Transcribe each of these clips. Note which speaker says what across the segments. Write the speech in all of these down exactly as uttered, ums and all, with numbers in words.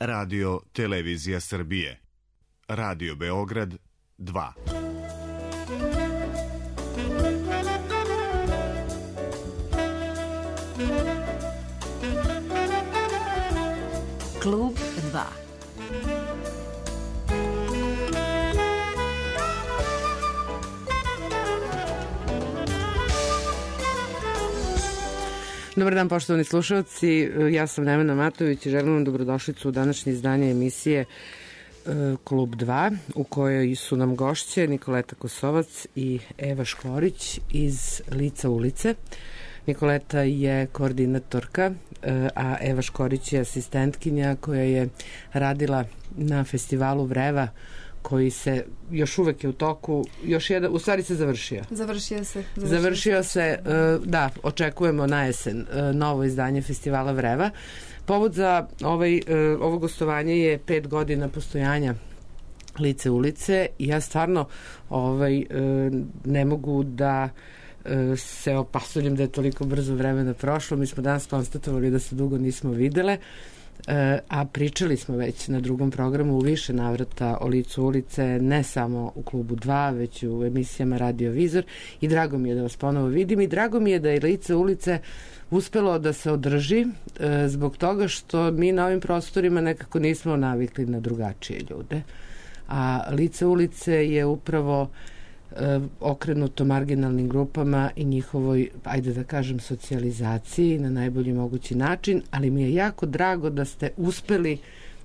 Speaker 1: Radio Televizija Srbije. Radio Beograd dva.
Speaker 2: Klub dva.
Speaker 3: Dobar dan, poštovani slušalci, ja sam Nevena Matović i želim vam dobrodošlicu u današnje izdanje emisije Klub dva, u kojoj su nam gošće Nikoleta Kosovac i Eva Škorić iz Lica ulice. Nikoleta je koordinatorka, a Eva Škorić je asistentkinja koja je radila na festivalu Vreva, koji se još uvek je u toku, još jedan, u stvari se završio.
Speaker 4: Završio se.
Speaker 3: Završio, završio se, da, očekujemo na jesen novo izdanje festivala Vreva. Povod za ovaj, ovo gostovanje je pet godina postojanja Lice ulice i ja stvarno ovaj, ne mogu da se opasuljem da je toliko brzo vremena prošlo. Mi smo danas konstatovali da se dugo nismo videle, a pričali smo već na drugom programu u više navrata o Licu ulice, ne samo u Klubu dva, već u emisijama Radio Vizor, i drago mi je da vas ponovo vidim i drago mi je da je Lice ulice uspelo da se održi zbog toga što mi na ovim prostorima nekako nismo navikli na drugačije ljude, a Lice ulice je upravo okrenuto marginalnim grupama i njihovoj, ajde da kažem, socijalizaciji na najbolji mogući način, ali mi je jako drago da ste uspeli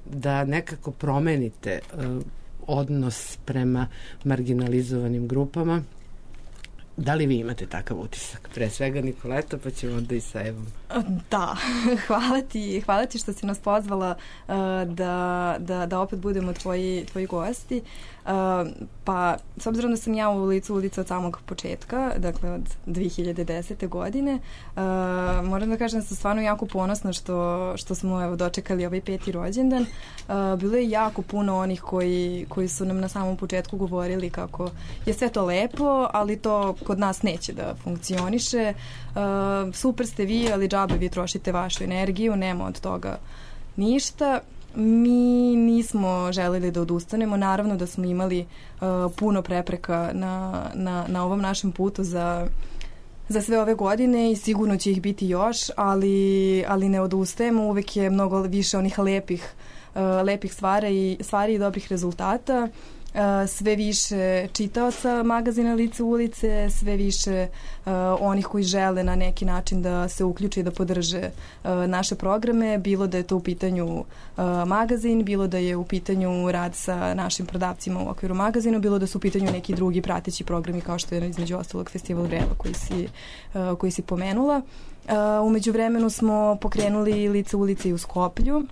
Speaker 3: da nekako promenite uh, odnos prema marginalizovanim grupama. Da li vi imate takav utisak? Pre svega Nikoleta, pa ćemo onda i sa Evom.
Speaker 4: Da, hvala ti, hvala ti što si nas pozvala uh, da, da, da opet budemo tvoji, tvoji gosti. Uh, pa, s obzirom da sam ja u Licu ulice od samog početka, dakle od dve hiljade desete. godine, uh, moram da kažem da sam stvarno jako ponosna što, što smo evo, dočekali ovaj peti rođendan. Uh, bilo je jako puno onih koji, koji su nam na samom početku govorili kako je sve to lepo, ali to kod nas neće da funkcioniše. Uh, super ste vi, ali džabe vi trošite vašu energiju, nema od toga ništa. Mi nismo želeli da odustanemo, naravno da smo imali uh, puno prepreka na, na, na ovom našem putu za, za sve ove godine i sigurno će ih biti još, ali, ali ne odustajemo, uvek je mnogo više onih lepih, uh, lepih stvari, stvari i dobrih rezultata. Uh, sve više čitaoca magazina Lice ulice, sve više uh, onih koji žele na neki način da se uključe i da podrže uh, naše programe, bilo da je to u pitanju uh, magazin, bilo da je u pitanju rad sa našim prodavcima u okviru magazina, bilo da su u pitanju neki drugi prateći programi kao što je između ostalog Festival Vreva koji si, uh, koji si pomenula. Uh, umeđu vremenu smo pokrenuli Lice ulice i u Skoplju.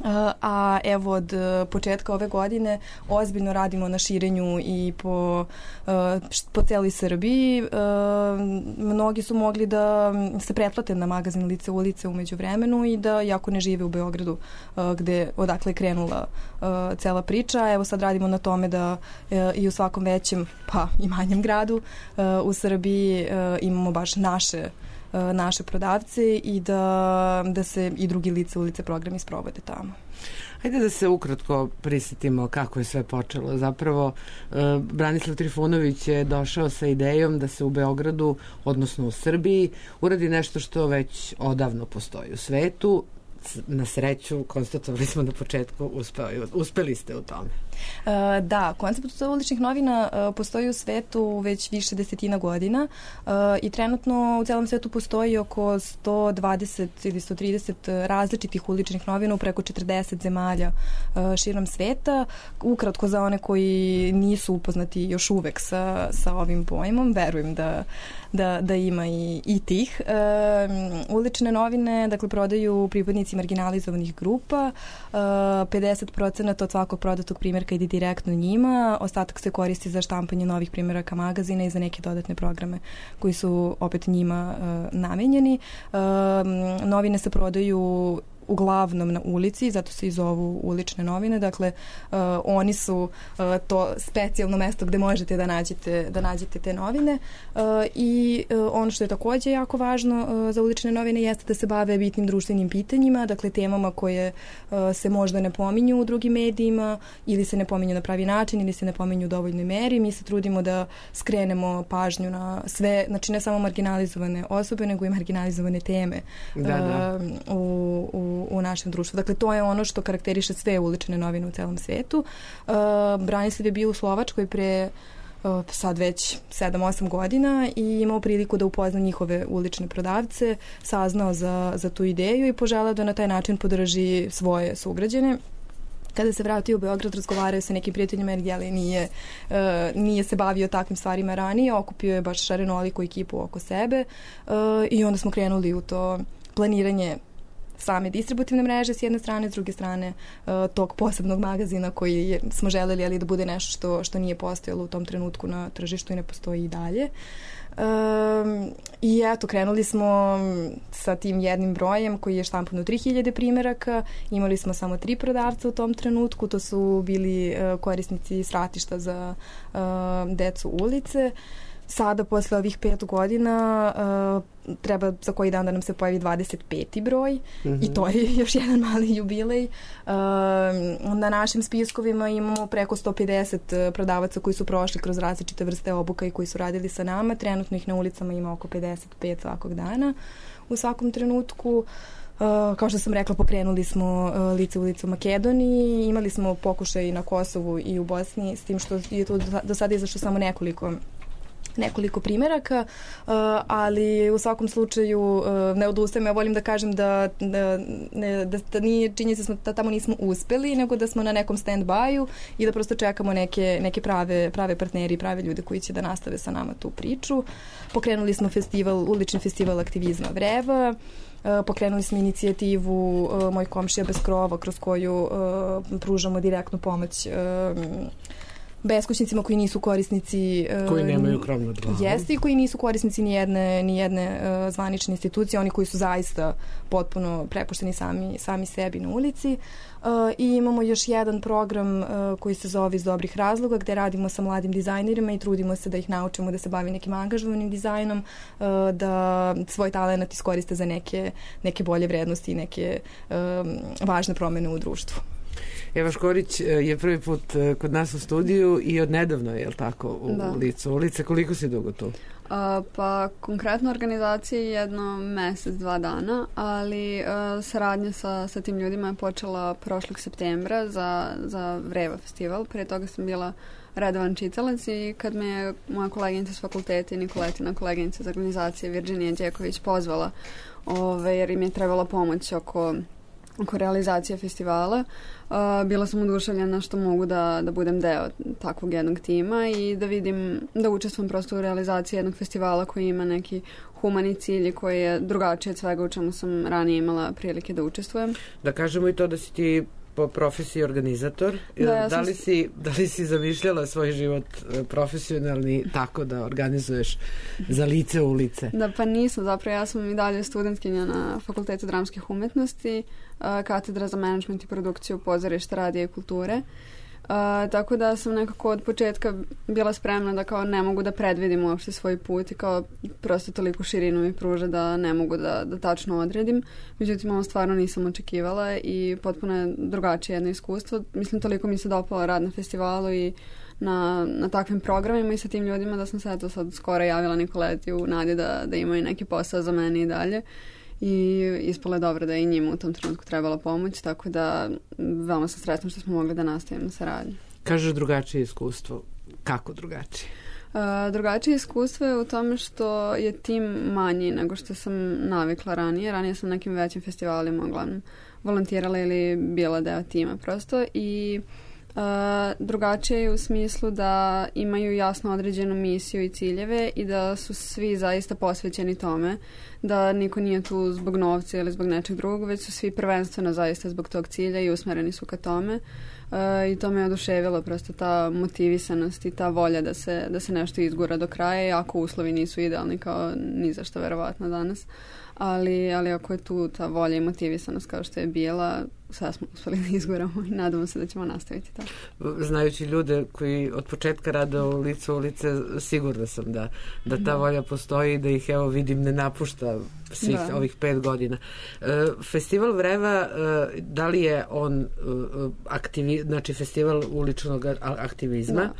Speaker 4: Uh, a evo od uh, početka ove godine ozbiljno radimo na širenju i po, uh, po celoj Srbiji. Uh, mnogi su mogli da se pretplate na magazin Lice ulice umeđu vremenu i da jako ne žive u Beogradu uh, gde odakle je krenula uh, cela priča. Evo sad radimo na tome da uh, i u svakom većem pa i manjem gradu uh, u Srbiji uh, imamo baš naše naše prodavce i da, da se i drugi Lice ulice programi sprovode tamo.
Speaker 3: Hajde da se ukratko prisjetimo kako je sve počelo. Zapravo, Branislav Trifunović je došao sa idejom da se u Beogradu, odnosno u Srbiji, uradi nešto što već odavno postoji u svetu. Na sreću, konstatovali smo na početku, uspeli, uspeli ste u tome.
Speaker 4: Uh, da, koncept uličnih novina uh, postoji u svetu već više desetina godina uh, i trenutno u celom svetu postoji oko sto dvadeset ili sto trideset različitih uličnih novina u preko četrdeset zemalja uh, širom sveta. Ukratko za one koji nisu upoznati još uvek sa, sa ovim pojmom, verujem da, da, da ima i, i tih. Uh, ulične novine, dakle, prodaju pripadnici marginalizovanih grupa, uh, pedeset procenata od svakog prodatog primjerka ide direktno njima, ostatak se koristi za štampanje novih primjeraka magazina i za neke dodatne programe koji su opet njima uh, namenjeni. Uh, novine se prodaju uglavnom na ulici, zato se i zovu ulične novine. Dakle, uh, oni su uh, to specijalno mesto gde možete da nađete, da nađete te novine. Uh, I uh, ono što je takođe jako važno uh, za ulične novine jeste da se bave bitnim društvenim pitanjima, dakle temama koje uh, se možda ne pominju u drugim medijima ili se ne pominju na pravi način ili se ne pominju u dovoljnoj meri. Mi se trudimo da skrenemo pažnju na sve, znači ne samo marginalizovane osobe, nego i marginalizovane teme
Speaker 3: da, da.
Speaker 4: Uh, u, u, u našem društvu. Dakle, to je ono što karakteriše sve ulične novine u celom svetu. Uh, Branislav je bio u Slovačkoj pre uh, sad već sedam osam godina i imao priliku da upozna njihove ulične prodavce, saznao za, za tu ideju i poželeo da na taj način podrži svoje sugrađane. Kada se vratio u Beograd, razgovarao sa nekim prijateljima jer jeli, nije, uh, nije se bavio takvim stvarima ranije, okupio je baš šarenoliku ekipu oko sebe uh, i onda smo krenuli u to planiranje same distributivne mreže s jedne strane, s druge strane uh, tog posebnog magazina koji je, smo želeli ali da bude nešto što, što nije postojalo u tom trenutku na tržištu i ne postoji i dalje. Um, I eto, krenuli smo sa tim jednim brojem koji je štampan u tri hiljade primeraka. Imali smo samo tri prodavca u tom trenutku. To su bili uh, korisnici svratišta za uh, decu ulice. Sada, posle ovih pet godina, uh, treba za koji dan da nam se pojavi dvadeset peti broj mm-hmm. i to je još jedan mali jubilej. Uh, na našim spiskovima imamo preko sto pedeset prodavaca koji su prošli kroz različite vrste obuka i koji su radili sa nama. Trenutno ih na ulicama ima oko pedeset pet svakog dana. U svakom trenutku, uh, kao što sam rekla, pokrenuli smo uh, lice ulice u Makedoniji. Imali smo pokušaj na Kosovu i u Bosni, s tim što je to do sada izašlo samo nekoliko nekoliko primeraka, uh, ali u svakom slučaju uh, ne odustajem. Ja volim da kažem da, da, ne, da, da nije činjenica smo da tamo nismo uspeli, nego da smo na nekom stand-by-u i da prosto čekamo neke, neke prave, prave partneri, prave ljude koji će da nastave sa nama tu priču. Pokrenuli smo festival, ulični festival aktivizma Vreva. Uh, pokrenuli smo inicijativu uh, Moj komšija bez krova, kroz koju uh, pružamo direktnu pomoć uh, beskućnicima koji nisu korisnici
Speaker 3: koji nemaju krov nad glavom.
Speaker 4: Jeste i koji nisu korisnici ni jedne, ni jedne uh, zvanične institucije, oni koji su zaista potpuno prepušteni sami, sami sebi na ulici. Uh, I imamo još jedan program uh, koji se zove Iz dobrih razloga, gde radimo sa mladim dizajnerima i trudimo se da ih naučimo da se bavi nekim angažovanim dizajnom, uh, da svoj talent iskoriste za neke, neke bolje vrednosti i neke um, važne promene u društvu.
Speaker 3: Eva Škorić je prvi put kod nas u studiju i od nedavno, je li tako, u da. licu ulice. Koliko si dugo tu?
Speaker 2: Uh, pa konkretno organizacija je jedno mesec, dva dana, ali uh, saradnja sa, sa tim ljudima je počela prošlog septembra za, za Vreva festival. Prije toga sam bila redovan čitalac i kad me je moja koleginica s fakulteta i Nikoletina koleginica iz organizacije Virginija Đeković pozvala, ove, jer im je trebala pomoć oko oko realizacije festivala. Uh, bila sam oduševljena što mogu da, da budem deo takvog jednog tima i da vidim, da učestvujem prosto u realizaciji jednog festivala koji ima neki humani cilj i koji je drugačiji od svega u čemu sam ranije imala prilike da učestvujem.
Speaker 3: Da kažemo i to da si ti po profesiji organizator. Da, ja da, li si, da li si zamišljala svoj život profesionalni tako da organizuješ za lice ulice?
Speaker 2: Da, pa nisam. Zapravo ja sam i dalje studentkinja na Fakultetu dramskih umetnosti, katedra za menadžment i produkciju pozorišta, radija i kulture. Uh, tako da sam nekako od početka bila spremna da kao ne mogu da predvidim uopšte svoj put i kao prosto toliko širinu mi pruža da ne mogu da, da tačno odredim. Međutim, ovo stvarno nisam očekivala i potpuno je drugačije jedno iskustvo. Mislim, toliko mi se dopala rad na festivalu i na, na takvim programima i sa tim ljudima da sam se eto sad skoro javila Nikoleti u nadi da, da imaju neki posao za mene i dalje. I ispalo je dobro da je i njima u tom trenutku trebala pomoć, tako da veoma sam sretna što smo mogli da nastavimo saradnju.
Speaker 3: Kažeš drugačije iskustvo. Kako drugačije?
Speaker 2: Uh, drugačije iskustvo je u tome što je tim manji nego što sam navikla ranije. Ranije sam na nekim većim festivalima uglavnom volontirala ili bila deo tima prosto i Uh, drugačije je u smislu da imaju jasno određenu misiju i ciljeve i da su svi zaista posvećeni tome, da niko nije tu zbog novca ili zbog nečeg drugog, već su svi prvenstveno zaista zbog tog cilja i usmereni su ka tome. Uh, I to me je oduševilo, prosto ta motivisanost i ta volja da se, da se nešto izgura do kraja, iako uslovi nisu idealni kao ni za što verovatno danas. Ali, ali ako je tu ta volja i motivisanost kao što je bila, sve smo uspeli da izguramo i nadamo se da ćemo nastaviti tako.
Speaker 3: Znajući ljude koji od početka rade u Licu ulice, sigurna sam da, da ta da. volja postoji i da ih, evo, vidim, ne napušta svih da. ovih pet godina. E, festival Vreva, e, da li je on e, aktivi, znači festival uličnog aktivizma? Da.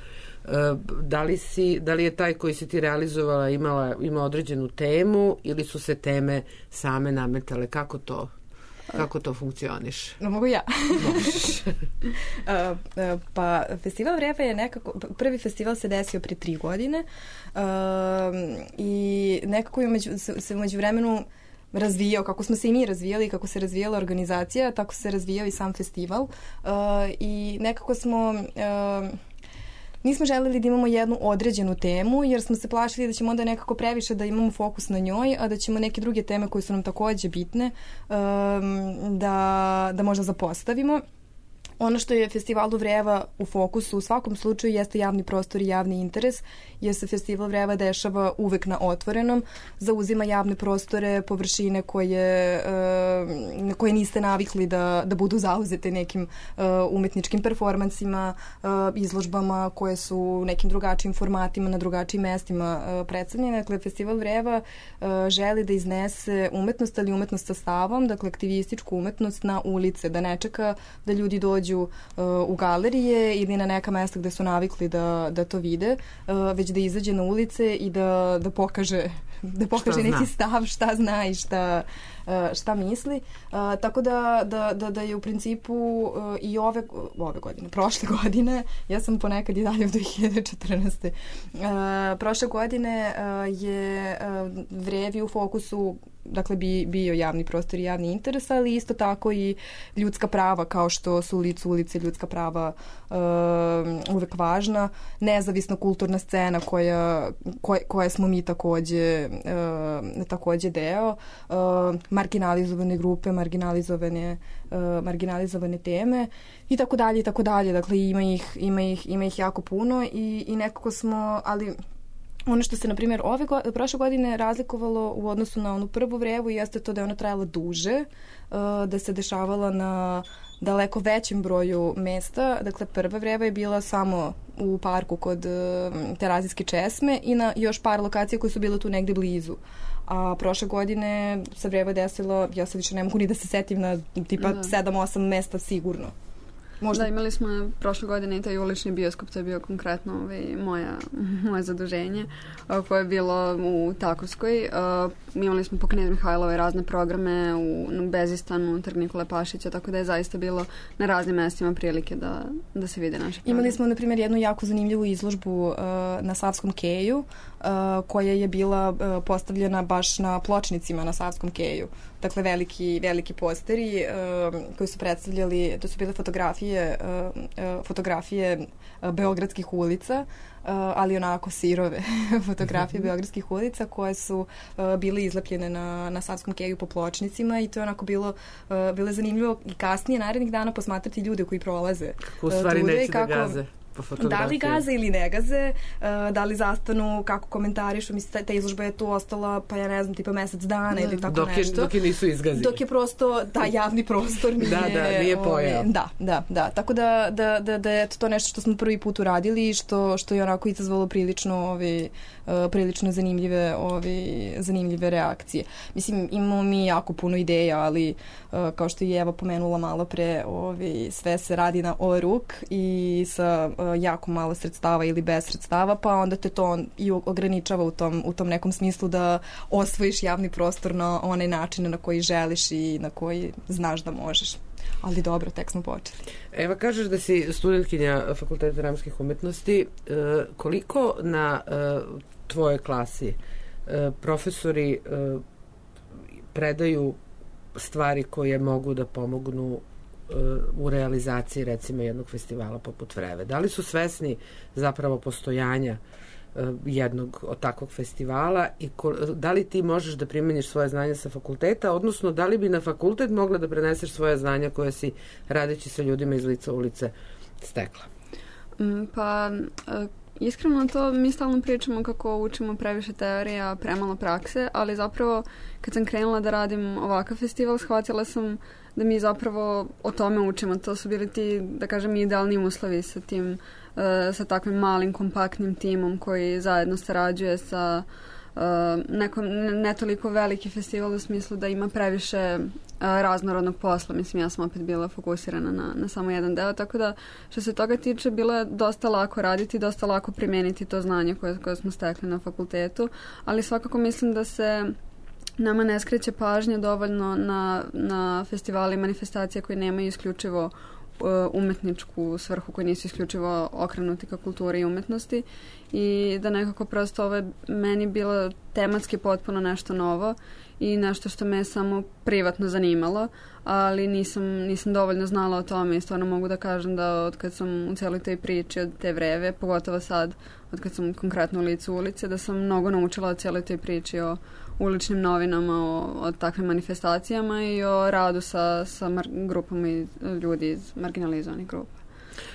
Speaker 3: Da li, si, da li je taj koji si ti realizovala imala, ima određenu temu ili su se teme same nametale? Kako to, kako to funkcioniš?
Speaker 4: No, mogu ja. uh, uh, pa festival Vreva je nekako, prvi festival se desio prije tri godine uh, i nekako je među, se, se umeđu vremenu razvijao, kako smo se i mi razvijali, kako se razvijala organizacija, tako se razvijao i sam festival uh, i nekako smo... Uh, Nismo želeli da imamo jednu određenu temu, jer smo se plašili da ćemo onda nekako previše da imamo fokus na njoj, a da ćemo neke druge teme koje su nam takođe bitne da, da možda zapostavimo. Ono što je festivalu Vreva u fokusu u svakom slučaju jeste javni prostor i javni interes, jer se festival Vreva dešava uvek na otvorenom, zauzima javne prostore, površine koje, na koje niste navikli da, da budu zauzete nekim umetničkim performansima, izložbama koje su u nekim drugačijim formatima, na drugačijim mestima predstavljene. Dakle, festival Vreva želi da iznese umetnost, ali umetnost sa stavom, dakle aktivističku umetnost na ulice, da ne čeka da ljudi dođu u galerije ili na neka mesta gde su navikli da, da to vide, već da izađe na ulice i da, da pokaže, da pokaže neki stav, šta zna i šta, šta misli. Tako da, da, da, da je u principu i ove, ove godine, prošle godine, ja sam ponekad i dalje u dve hiljade četrnaeste. Prošle godine je Vrevi u fokusu, dakle bi, bio javni prostor i javni interes, ali isto tako i ljudska prava, kao što su u Licu ulice ljudska prava uh, uvek važna, nezavisna kulturna scena koja, koje, koje smo mi takođe, uh, takođe deo, uh, marginalizovane grupe, marginalizovane, uh, marginalizovane teme i tako dalje i tako dalje. Dakle, ima ih, ima ih, ima ih jako puno i, i nekako smo, ali... Ono što se, na primjer, ove go, prošle godine razlikovalo u odnosu na onu prvu Vrevu jeste to da je ona trajala duže, da se dešavala na daleko većem broju mesta. Dakle, prva Vreva je bila samo u parku kod Terazijske česme i na još par lokacija koje su bile tu negde blizu. A prošle godine se Vreva desila, ja sad više ne mogu ni da se setim, na tipa da. sedam osam mesta sigurno.
Speaker 2: Možda. Da, imali smo prošle godine i taj ulični bioskop, to je bio konkretno ovaj, moja, moje zaduženje, koje je bilo u Takovskoj. Uh, imali smo po Knez Mihajlovoj razne programe u, u Bezistanu, Trg Nikole Pašića, tako da je zaista bilo na raznim mestima prilike da, da se vide naše programe.
Speaker 4: Imali smo, na primjer, jednu jako zanimljivu izložbu uh, na Savskom keju, uh, koja je bila uh, postavljena baš na pločnicima na Savskom keju. Dakle, veliki, veliki posteri uh, koji su predstavljali, to su bile fotografije, uh, uh, fotografije uh, beogradskih ulica, uh, ali onako sirove fotografije mm-hmm. beogradskih ulica koje su uh, bile izlepljene na, na Savskom keju po pločnicima i to je onako bilo, uh, bilo zanimljivo i kasnije narednih dana posmatrati ljude koji prolaze.
Speaker 3: Kako u stvari uh, neće da gaze.
Speaker 4: Da li gaze ili ne gaze, uh, da li zastanu, kako komentarišu, mislim, ta, ta izložba je tu ostala, pa ja ne znam, tipa mesec dana da, ili tako
Speaker 3: dok je,
Speaker 4: nešto.
Speaker 3: Dok je nisu izgazili.
Speaker 4: Dok je prosto ta javni prostor nije...
Speaker 3: da, da, nije pojao.
Speaker 4: Da, da, da. Tako da, da, da, da je to nešto što smo prvi put uradili i što, što je onako izazvalo prilično, ovi, uh, prilično zanimljive, ovi, zanimljive reakcije. Mislim, imamo mi jako puno ideja, ali uh, kao što je Eva pomenula malo pre, ovi, sve se radi na o ruk i sa jako malo sredstava ili bez sredstava, pa onda te to i ograničava u tom, u tom nekom smislu da osvojiš javni prostor na onaj način na koji želiš i na koji znaš da možeš. Ali dobro, tek smo počeli.
Speaker 3: Eva, kažeš da si studentkinja Fakulteta dramskih umetnosti. E, koliko na e, tvojoj klasi e, profesori e, predaju stvari koje mogu da pomognu u realizaciji recimo jednog festivala poput Vreve? Da li su svesni zapravo postojanja jednog od takvog festivala i ko, da li ti možeš da primeniš svoje znanje sa fakulteta, odnosno da li bi na fakultet mogla da preneseš svoje znanja koje si radeći sa ljudima iz lica ulice stekla?
Speaker 2: Pa iskreno to mi stalno pričamo kako učimo previše teorija, premalo prakse, ali zapravo kad sam krenula da radim ovakav festival, shvatila sam da mi zapravo o tome učimo. To su bili ti, da kažem, idealni uslovi sa tim, sa takvim malim, kompaktnim timom koji zajedno sarađuje sa nekom, ne toliko veliki festival u smislu da ima previše raznorodnog posla. Mislim, ja sam opet bila fokusirana na, na samo jedan deo, tako da što se toga tiče bilo je dosta lako raditi, dosta lako primijeniti to znanje koje, koje smo stekli na fakultetu, ali svakako mislim da se nama ne skreće pažnja dovoljno na, na festivali i manifestacije koje nemaju isključivo umetničku svrhu, koji nisu isključivo okrenuti ka kulturi i umetnosti, i da nekako prosto ovo je meni bilo tematski potpuno nešto novo i nešto što me samo privatno zanimalo, ali nisam, nisam dovoljno znala o tome i stvarno mogu da kažem da od kad sam u cijeloj toj priči od te Vreve, pogotovo sad od kad sam konkretno u licu ulice, da sam mnogo naučila o cijeloj toj priči o uličnim novinama, o, o takvim manifestacijama i o radu sa, sa mar, grupama i ljudi iz marginalizovanih grupa.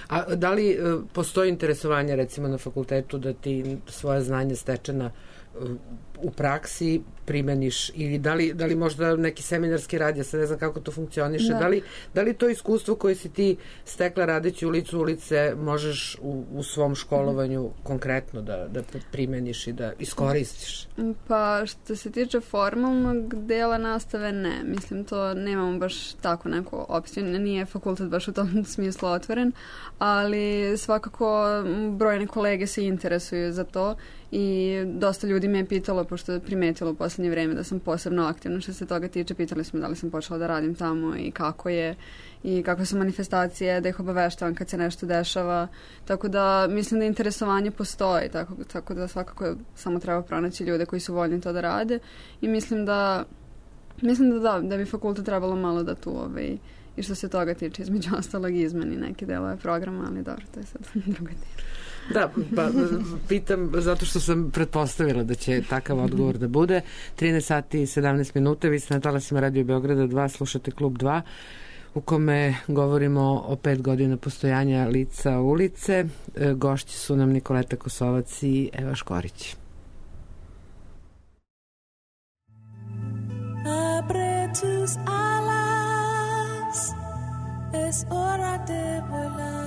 Speaker 3: A da li uh, postoji interesovanje recimo na fakultetu da ti svoje znanje stečena uh, u praksi primeniš, ili da li, da li možda neki seminarski rad, ja sad ne znam kako to funkcioniše, da. Da, li, da li to iskustvo koje si ti stekla radeći u licu ulice možeš u, u svom školovanju mm. konkretno da, da primeniš i da iskoristiš?
Speaker 2: Pa što se tiče formalnog dela nastave, ne. Mislim, to nemamo baš tako neku opciju, nije fakultet baš u tom smislu otvoren, ali svakako brojne kolege se interesuju za to i dosta ljudi me je pitalo, pošto je primetilo u posljednje vreme da sam posebno aktivna što se toga tiče, pitali smo da li sam počela da radim tamo i kako je i kakve su manifestacije, da ih obaveštavam kad se nešto dešava, tako da mislim da interesovanje postoji, tako, tako da svakako samo treba pronaći ljude koji su voljni to da rade i mislim da mislim da da, da bi fakultet trebalo malo da tu ovaj, i što se toga tiče između ostalog izmeni neke delove programa, ali dobro, to je sad druga tema.
Speaker 3: Da, pa pitam zato što sam pretpostavila da će takav odgovor da bude. trinaest sati i sedamnaest minuta, vi ste na talasima Radio Beograda dva, slušate Klub dva, u kome govorimo o pet godina postojanja lica ulice. Gošći su nam Nikoleta Kosovac i Eva Škorić.
Speaker 5: Apretus alas, es hora de volar.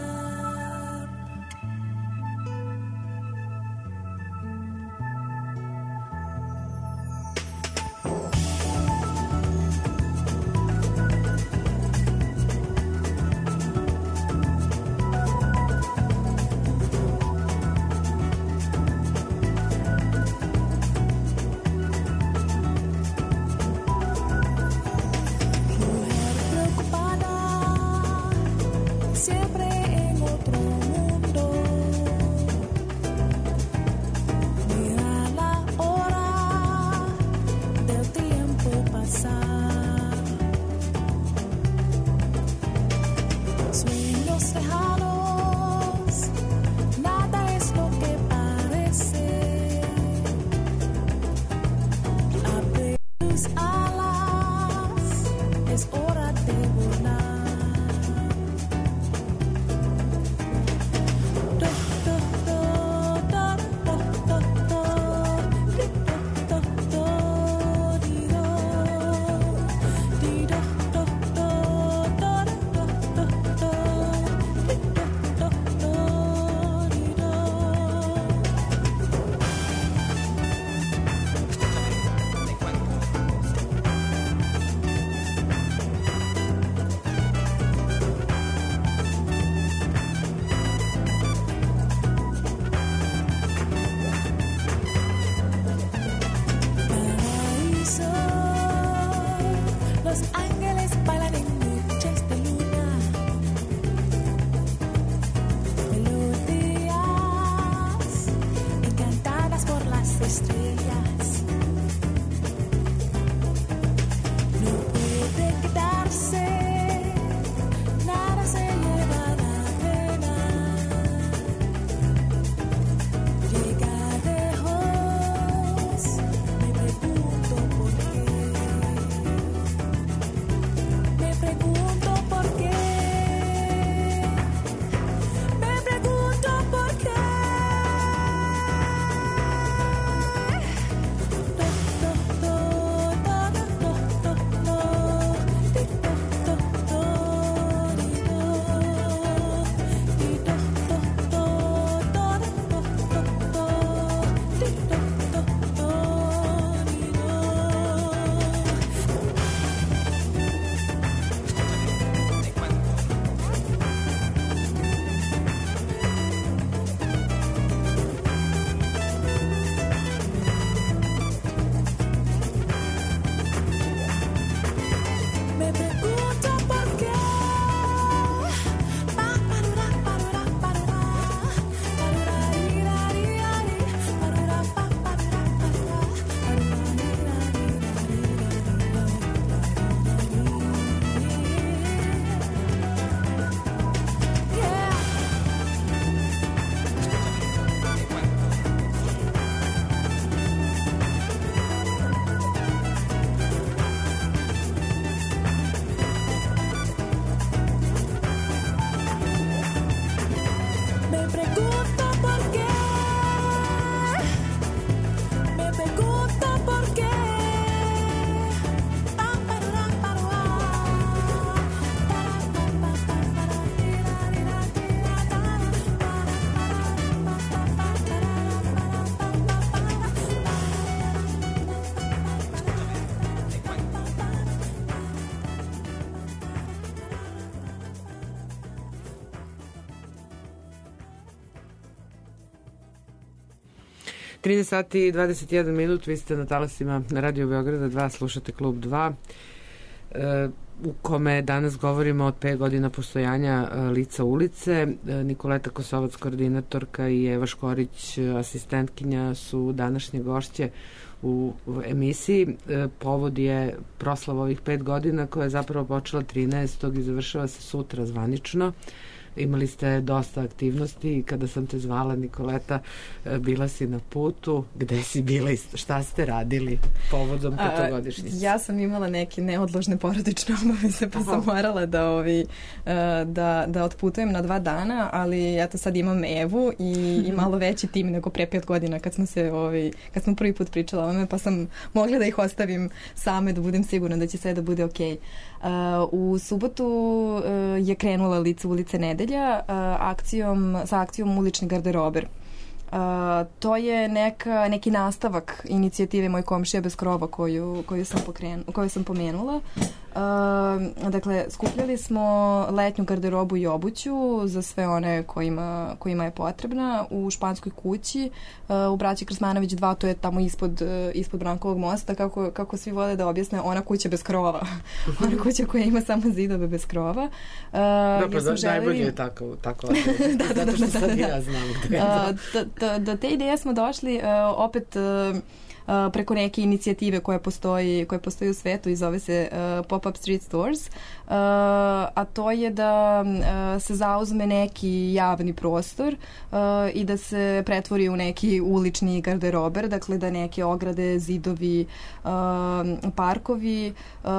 Speaker 3: trinaest sati i dvadeset jedan minut, vi ste na talasima na Radio Beograda dva, slušate Klub dva, e, u kome danas govorimo od pet godina postojanja e, Lica ulice. E, Nikoleta Kosovac, koordinatorka, i Eva Škorić, asistentkinja, su današnje gošće u, u emisiji. E, povod je proslava ovih pet godina koja je zapravo počela trinaestog i završava se sutra zvanično. Imali ste dosta aktivnosti i kada sam te zvala, Nikoleta, bila si na putu. Gde si bila i šta ste radili povodom petogodišnjice?
Speaker 4: Ja sam imala neke neodložne porodične obaveze, pa sam morala da, ovi, da, da otputujem na dva dana, ali eto sad imam Evu i, i malo veći tim nego pre pet godina kad smo se ovi, kad smo prvi put pričala o ome, pa sam mogla da ih ostavim same, da budem sigurna da će sve da bude okej. Uh, u subotu uh, je krenula Lice ulice nedelja uh, akcijom, sa akcijom Ulični garderober. Uh, to je neka, neki nastavak inicijative Moj komšija bez krova koju, koju, sam, pokrenu, koju sam pomenula. Uh, dakle, skupljali smo letnju garderobu i obuću za sve one kojima, kojima je potrebna u Španskoj kući, uh, u Braći Krsmanović dva, to je tamo ispod, uh, ispod Brankovog mosta, kako, kako svi vole da objasne, ona kuća bez krova. Ona kuća koja ima samo zidove bez krova. Uh,
Speaker 3: Dobro, da, želeli... najbolje je tako, tako da, da, zato što da, da, sad da, ja znam gde je to.
Speaker 4: Uh, do, do te ideje smo došli uh, opet uh, Uh, preko neke inicijative koja postoji, koja postoji u svetu i zove se uh, Pop-up Street Stores, uh, a to je da uh, se zauzme neki javni prostor uh, i da se pretvori u neki ulični garderober, dakle da neke ograde, zidovi, uh, parkovi uh,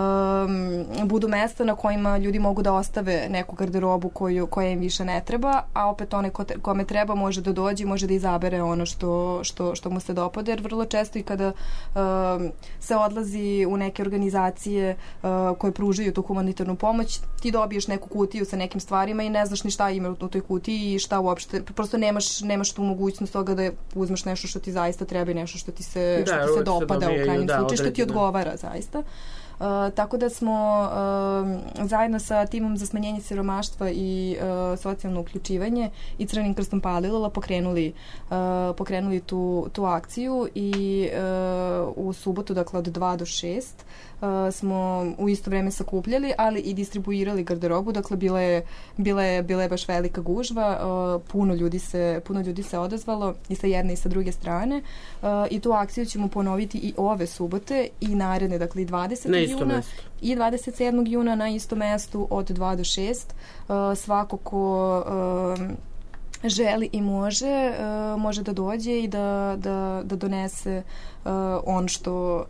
Speaker 4: budu mesta na kojima ljudi mogu da ostave neku garderobu koju, koja im više ne treba, a opet one ko te, kome treba može da dođe i može da izabere ono što, što, što mu se dopada, jer vrlo često i kada da uh, se odlazi u neke organizacije uh, koje pružaju tu humanitarnu pomoć, ti dobiješ neku kutiju sa nekim stvarima i ne znaš ni šta ima u toj kutiji i šta uopšte, prosto nemaš, nemaš tu mogućnost toga da uzmeš nešto što ti zaista treba i nešto što ti se, da, što ti se dopada se u krajnjem da, slučaju, što ti odgovara zaista. Uh, tako da smo uh, zajedno sa timom za smanjenje siromaštva i uh, socijalno uključivanje i Crvenim krstom Palilula pokrenuli, uh, pokrenuli tu, tu akciju i uh, u subotu, dakle od dva do šest, uh, smo u isto vreme sakupljali, ali i distribuirali garderobu, dakle bila je, bila je, bila je baš velika gužva, uh, puno ljudi se, puno ljudi se odazvalo i sa jedne i sa druge strane uh, i tu akciju ćemo ponoviti i ove subote i naredne, dakle i dvadesetog juna i dvadeset sedmog juna na istom mestu od dva do šest. Uh, svako ko uh, želi i može, uh, može da dođe i da, da, da donese uh, on što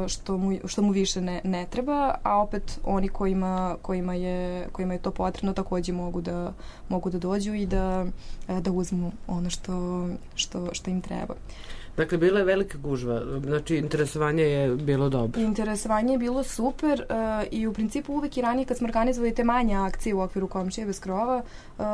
Speaker 4: Što mu, što mu više ne, ne treba, a opet oni kojima, kojima, je, kojima je to potrebno takođe mogu da, mogu da dođu i da, da uzmu ono što, što, što im treba.
Speaker 3: Dakle, bila je velika gužva, znači interesovanje je bilo dobro.
Speaker 4: Interesovanje je bilo super uh, i u principu uvek i ranije kad smo organizovali te manje akcije u okviru Komšije bez krova, uh,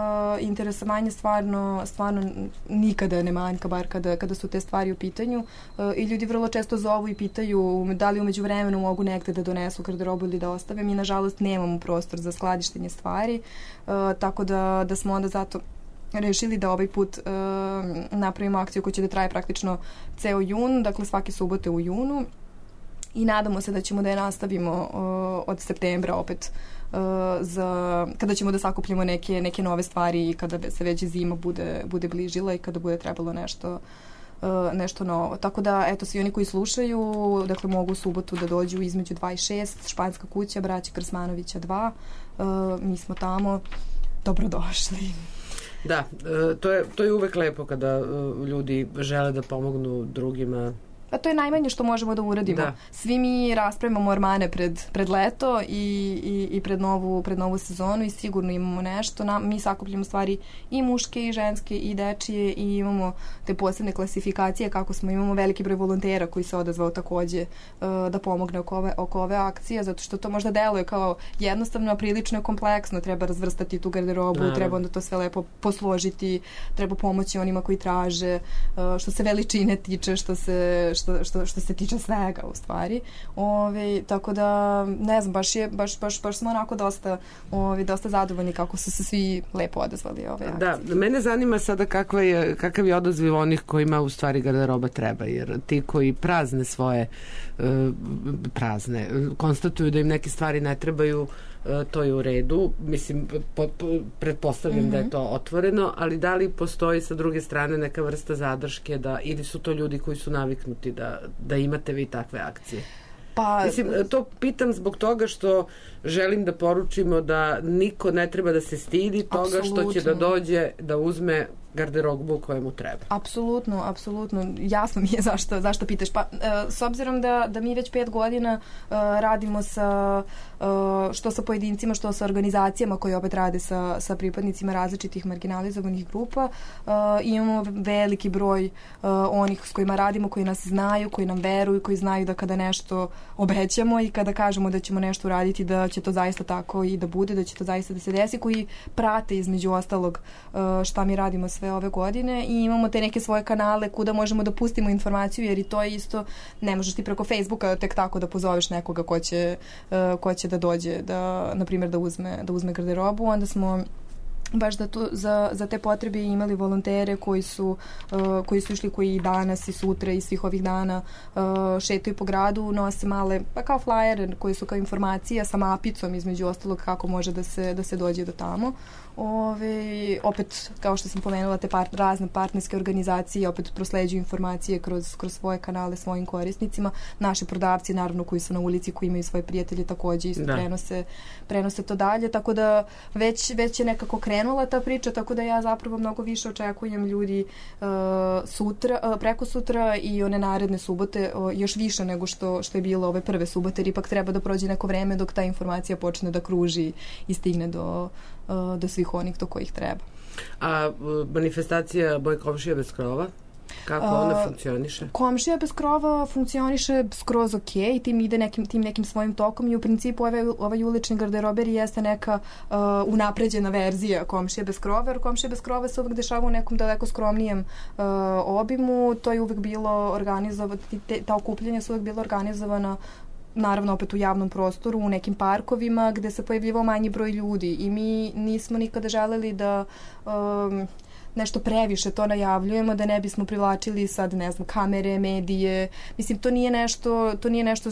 Speaker 4: interesovanje stvarno, stvarno nikada ne manjka, bar kada, kada su te stvari u pitanju uh, i ljudi vrlo često zovu i pitaju da li umeđu vremenu mogu negde da donesu garderobu ili da ostave. Mi nažalost nemamo prostor za skladištenje stvari, uh, tako da, da smo onda zato rešili da ovaj put uh, napravimo akciju koja će da traje praktično ceo jun, dakle svake subote u junu i nadamo se da ćemo da je nastavimo uh, od septembra opet uh, za, kada ćemo da sakupljamo neke, neke nove stvari i kada se već zima bude, bude bližila i kada bude trebalo nešto Uh, nešto novo. Tako da, eto, svi oni koji slušaju, dakle, mogu u subotu da dođu između dva i šest, Španska kuća, Braća Krsmanovića dva. Uh, mi smo tamo. Dobrodošli.
Speaker 3: Da, to je, to je uvek lepo kada ljudi žele da pomognu drugima.
Speaker 4: A to je najmanje što možemo da uradimo. Da. Svi mi raspravimo ormane pred, pred leto i, i, i pred, novu, pred novu sezonu i sigurno imamo nešto. Na, mi sakupljamo stvari i muške i ženske i dečije i imamo te posebne klasifikacije kako smo. Imamo veliki broj volontera koji se odazvao takođe uh, da pomogne oko ove, oko ove akcije, zato što to možda deluje kao jednostavno, a prilično je kompleksno. Treba razvrstati tu garderobu, Naravno. treba onda to sve lepo posložiti, treba pomoći onima koji traže, uh, što se veličine tiče, što se što, što, što se tiče svega u stvari. Ove, tako da, ne znam, baš, je, baš, baš, baš smo onako dosta, ove, dosta zadovoljni kako su se svi lepo odazvali ove akcije.
Speaker 3: Da, mene zanima sada kakva je, kakav je odaziv onih kojima u stvari garderoba treba, jer ti koji prazne svoje uh, prazne, konstatuju da im neke stvari ne trebaju, to je u redu. Mislim, po, po, pretpostavljam mm-hmm. da je to otvoreno, ali da li postoji sa druge strane neka vrsta zadrške da, ili su to ljudi koji su naviknuti da, da imate vi takve akcije?
Speaker 4: Pa,
Speaker 3: mislim, to pitam zbog toga što želim da poručimo da niko ne treba da se stidi toga apsolutno. Što će da dođe da uzme garderobu koje mu treba.
Speaker 4: Apsolutno, apsolutno. Jasno mi je zašto, zašto pitaš. Pa, e, s obzirom da, da mi već pet godina e, radimo sa, e, što sa pojedincima, što sa organizacijama koje opet rade sa, sa pripadnicima različitih marginalizovanih grupa, e, imamo veliki broj e, onih s kojima radimo, koji nas znaju, koji nam veruju, koji znaju da kada nešto obećamo i kada kažemo da ćemo nešto uraditi, da će to zaista tako i da bude, da će to zaista da se desi, koji prate između ostalog e, šta mi radimo sve ove godine i imamo te neke svoje kanale kuda možemo da pustimo informaciju, jer i to je isto, ne možeš ti preko Facebooka tek tako da pozoveš nekoga ko će, uh, ko će da dođe da, na primjer, da uzme, da uzme garderobu. Onda smo baš da tu, za, za te potrebe imali volontere koji su, uh, koji su išli, koji i danas i sutra i svih ovih dana uh, šetaju po gradu, nose male, pa kao flyer koji su kao informacija sa mapicom između ostalog kako može da se, da se dođe do tamo. Ove, opet, kao što sam pomenula, te par, razne partnerske organizacije opet prosleđuju informacije kroz, kroz svoje kanale svojim korisnicima. Naši prodavci, naravno, koji su na ulici, koji imaju svoje prijatelje, takođe isto prenose, prenose to dalje, tako da već, već je nekako krenula ta priča, tako da ja zapravo mnogo više očekujem ljudi uh, sutra, uh, preko sutra i one naredne subote, uh, još više nego što, što je bilo ove prve subote, jer ipak treba da prođe neko vreme dok ta informacija počne da kruži i stigne do do svih onih do kojih treba.
Speaker 3: A manifestacija Moj komšija bez krova? Kako ona uh, funkcioniše?
Speaker 4: Komšija bez krova funkcioniše skroz ok i tim ide nekim, tim nekim svojim tokom i u principu ovaj, ovaj ulični garderober jeste neka uh, unapređena verzija Komšija bez krova, jer Komšija bez krova se uvek dešava u nekom daleko skromnijem uh, obimu. To je uvek bilo organizovano, ta okupljanja su uvek bila organizovana naravno opet u javnom prostoru, u nekim parkovima gde se pojavljivao manji broj ljudi i mi nismo nikada želeli da um, nešto previše to najavljujemo, da ne bismo privlačili sad, ne znam, kamere, medije. Mislim, to nije nešto, to nije nešto,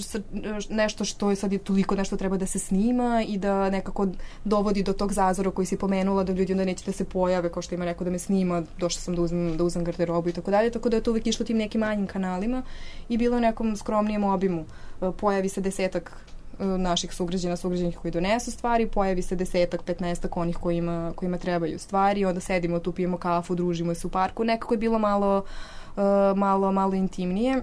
Speaker 4: nešto što je sad je toliko nešto treba da se snima i da nekako dovodi do tog zazora koji si pomenula, da ljudi onda neće da se pojave, kao što ima neko da me snima, došla sam da uzmem, da uzmem garderobu i tako dalje, tako da je to uvek išlo tim nekim manjim kanalima i bilo u nekom skromnijem obimu. Pojavi se desetak naših sugrađana, sugrađanih koji donesu stvari, pojavi se desetak, petnaestak onih kojima, kojima trebaju stvari, onda sedimo tu, pijemo kafu, družimo se u parku, nekako je bilo malo, uh, malo, malo intimnije.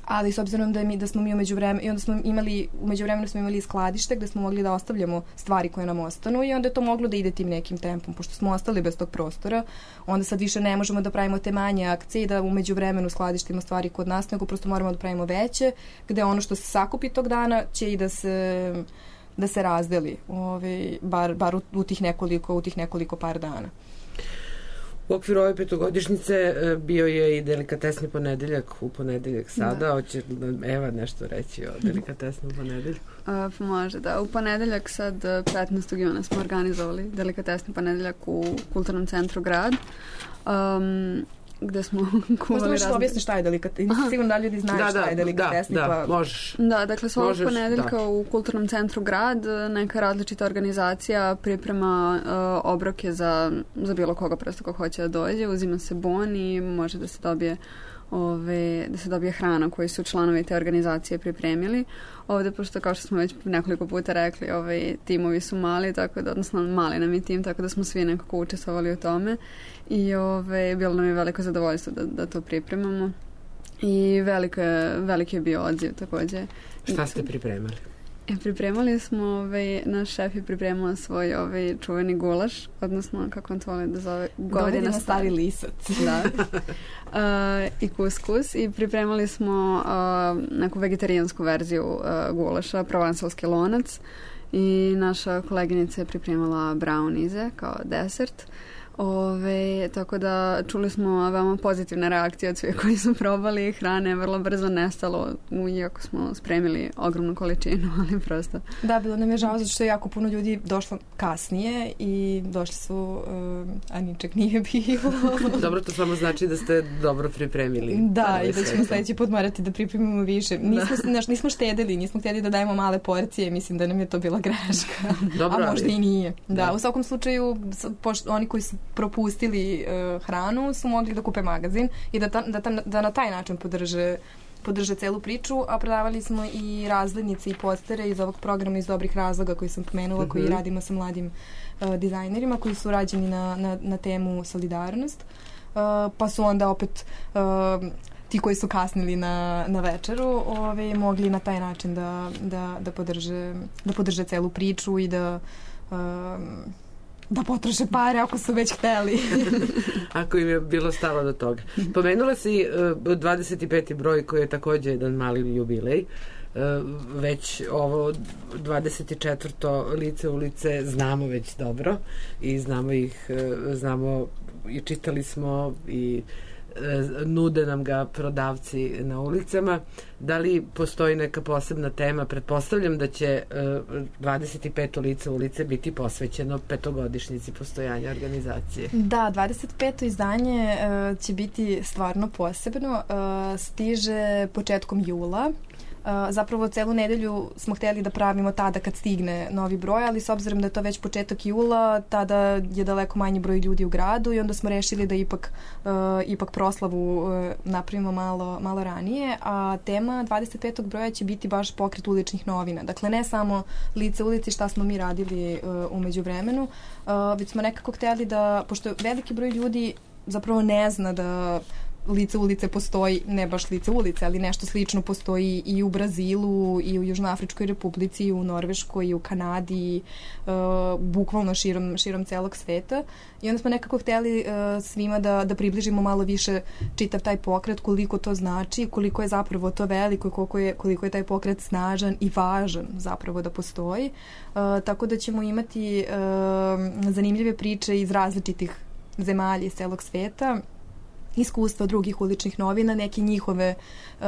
Speaker 4: Ali s obzirom da, mi, da smo mi umeđu vremenu, i onda smo imali, umeđu vremenu smo imali skladište gde smo mogli da ostavljamo stvari koje nam ostanu i onda je to moglo da ide tim nekim tempom. Pošto smo ostali bez tog prostora, onda sad više ne možemo da pravimo te manje akcije i da umeđu vremenu skladištimo stvari kod nas, nego prosto moramo da pravimo veće, gde ono što se sakupi tog dana će i da se, da se razdeli, ove, bar, bar u, u, tih nekoliko, u tih nekoliko par dana.
Speaker 3: U okviru ove petogodišnjice bio je i delikatesni ponedeljak u ponedeljak sada. Da. Hoće Eva nešto reći o delikatesnom ponedeljku?
Speaker 2: Uh, može, da. U ponedeljak sad petnaestog juna smo organizovali delikatesni ponedeljak u Kulturnom centru Grad. Um, gde smo kuvali
Speaker 4: razne... Možda objasni šta je delikatesni. Nisam sigurno da ljudi znaju
Speaker 3: da,
Speaker 4: šta
Speaker 3: da,
Speaker 4: je delikatesni.
Speaker 3: Da,
Speaker 4: pa...
Speaker 3: da, možeš.
Speaker 2: Da, dakle, svakog
Speaker 3: možeš,
Speaker 2: ponedeljka
Speaker 3: da.
Speaker 2: u Kulturnom centru Grad neka različita organizacija priprema uh, obroke za, za bilo koga prosto ko hoće da dođe. Uzima se bon i može da se dobije Ove, da se dobije hrana koju su članovi te organizacije pripremili. Ovde, pošto kao što smo već nekoliko puta rekli, ove, timovi su mali, tako da, odnosno mali nam je tim, tako da smo svi nekako učestvovali u tome i ove, bilo nam je veliko zadovoljstvo da, da to pripremamo i velike, veliki je bio odziv takođe.
Speaker 3: Šta ste pripremali?
Speaker 2: E, pripremali smo, ovaj, naš šef je pripremala svoj ovaj, čuveni gulaš, odnosno, kako on to voli da zove,
Speaker 4: Govedina stari lisac.
Speaker 2: Da. Uh, I kuskus. I pripremali smo uh, neku vegetarijansku verziju uh, gulaša, provansalski lonac. I naša koleginica je pripremala braunize kao desert. Ove, tako da čuli smo veoma pozitivne reakcije od svih koji su probali. Hrane je vrlo brzo nestalo, iako smo spremili ogromnu količinu, ali prosto...
Speaker 4: Da, bilo nam je žao zato što je jako puno ljudi došlo kasnije i došli su, uh, a ničeg nije bilo.
Speaker 3: Dobro, to samo znači da ste dobro pripremili.
Speaker 4: Da, i da ćemo sledeći put morati da pripremimo više. Nismo, naš, nismo štedili, nismo htjeli da dajemo male porcije, mislim da nam je to bila greška.
Speaker 3: Dobro,
Speaker 4: a možda
Speaker 3: ali...
Speaker 4: i nije. Da,
Speaker 3: Da.
Speaker 4: u svakom slučaju, pošto oni koji su propustili uh, hranu su mogli da kupe magazin i da, ta, da, ta, da na taj način podrže podrže celu priču, a prodavali smo i razglednice i postere iz ovog programa iz dobrih razloga koji sam pomenula, mm-hmm. koji radimo sa mladim uh, dizajnerima koji su rađeni na, na, na temu solidarnost. Uh, pa su onda opet uh, ti koji su kasnili na, na večeru ove, mogli na taj način da, da, da, podrže, da podrže celu priču i da uh, da potroše pare ako su već hteli.
Speaker 3: Ako im je bilo stalo do toga. Pomenula si uh, dvadeset peti broj koji je također jedan mali jubilej. Uh, već ovo dvadeset četvrto lice ulice znamo već dobro i znamo ih, uh, znamo i čitali smo i nude nam ga prodavci na ulicama. Da li postoji neka posebna tema? Pretpostavljam da će dvadeset peto lice ulice biti posvećeno petogodišnjici postojanja organizacije.
Speaker 4: Da, dvadeset peto izdanje uh, će biti stvarno posebno. Uh, stiže početkom jula. Uh, zapravo celu nedelju smo htjeli da pravimo tada kad stigne novi broj, ali s obzirom da je to već početak jula, tada je daleko manji broj ljudi u gradu i onda smo rešili da ipak, uh, ipak proslavu uh, napravimo malo, malo ranije, a tema dvadeset petog broja će biti baš pokret uličnih novina. Dakle, ne samo lice ulici šta smo mi radili uh, u međuvremenu, uh, već smo nekako htjeli da, pošto veliki broj ljudi zapravo ne zna da lice ulice postoji, ne baš lice ulice, ali nešto slično postoji i u Brazilu, i u Južnoafričkoj republici, i u Norveškoj, i u Kanadi, uh, bukvalno širom, širom celog sveta. I onda smo nekako htjeli uh, svima da, da približimo malo više čitav taj pokret, koliko to znači, koliko je zapravo to veliko, koliko je, koliko je taj pokret snažan i važan zapravo da postoji. Uh, tako da ćemo imati uh, zanimljive priče iz različitih zemalja iz celog sveta, iskustva drugih uličnih novina, neke njihove, uh,